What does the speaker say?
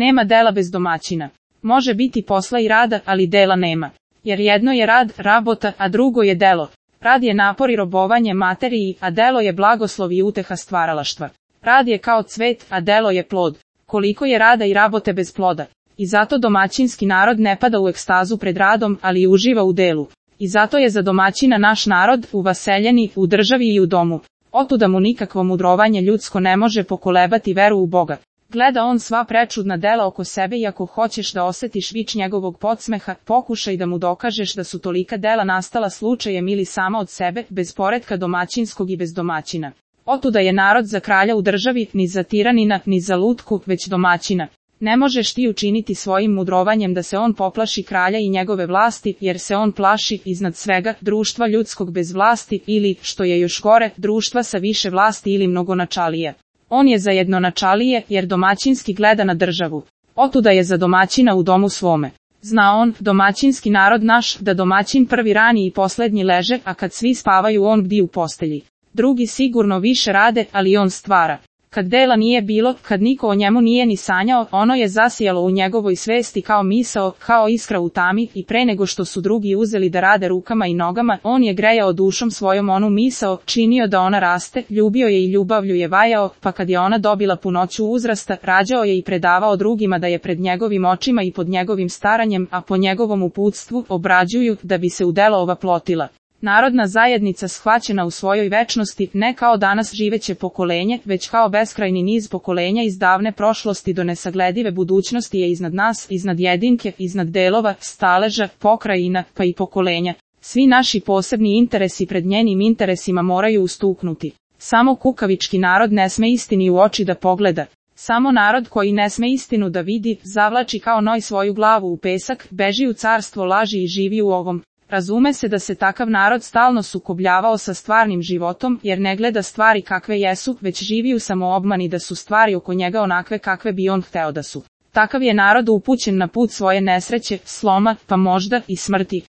Nema dela bez domaćina. Može biti posla i rada, ali dela nema. Jer jedno je rad, rabota, a drugo je delo. Rad je napor i robovanje materiji, a delo je blagoslov i uteha stvaralaštva. Rad je kao cvet, a delo je plod. Koliko je rada i rabote bez ploda. I zato domaćinski narod ne pada u ekstazu pred radom, ali uživa u delu. I zato je za domaćina naš narod, u vaseljeni, u državi i u domu. Otuda mu nikakvo mudrovanje ljudsko ne može pokolebati veru u Boga. Gleda on sva prečudna dela oko sebe i ako hoćeš da osetiš vič njegovog podsmeha, pokušaj da mu dokažeš da su tolika dela nastala slučajem ili sama od sebe, bez poretka domaćinskog i bez domaćina. Otuda je narod za kralja u državi, ni za tiranina, ni za lutku, već domaćina. Ne možeš ti učiniti svojim mudrovanjem da se on poplaši kralja i njegove vlasti, jer se on plaši, iznad svega, društva ljudskog bez vlasti ili, što je još gore, društva sa više vlasti ili mnogonačalije. On je za jednonačalije, jer domaćinski gleda na državu. Otuda je za domaćina u domu svome. Zna on, domaćinski narod naš, da domaćin prvi rani i poslednji leže, a kad svi spavaju on bdi u postelji. Drugi sigurno više rade, ali on stvara. Kad dela nije bilo, kad niko o njemu nije ni sanjao, ono je zasijalo u njegovoj svesti kao misao, kao iskra u tami, i pre nego što su drugi uzeli da rade rukama i nogama, on je grejao dušom svojom onu misao, činio da ona raste, ljubio je i ljubavlju je vajao, pa kad je ona dobila punoću uzrasta, rađao je i predavao drugima da je pred njegovim očima i pod njegovim staranjem, a po njegovom uputstvu, obrađuju, da bi se u delo ova plotila. Narodna zajednica shvaćena u svojoj večnosti, ne kao danas živeće pokolenje, već kao beskrajni niz pokolenja iz davne prošlosti do nesagledive budućnosti je iznad nas, iznad jedinke, iznad delova, staleža, pokrajina, pa i pokolenja. Svi naši posebni interesi pred njenim interesima moraju ustuknuti. Samo kukavički narod ne sme istini u oči da pogleda. Samo narod koji ne sme istinu da vidi, zavlači kao noj svoju glavu u pesak, beži u carstvo laži i živi u ovom. Razume se da se takav narod stalno sukobljavao sa stvarnim životom, jer ne gleda stvari kakve jesu, već živi u samoobmani da su stvari oko njega onakve kakve bi on hteo da su. Takav je narod upućen na put svoje nesreće, sloma, pa možda i smrti.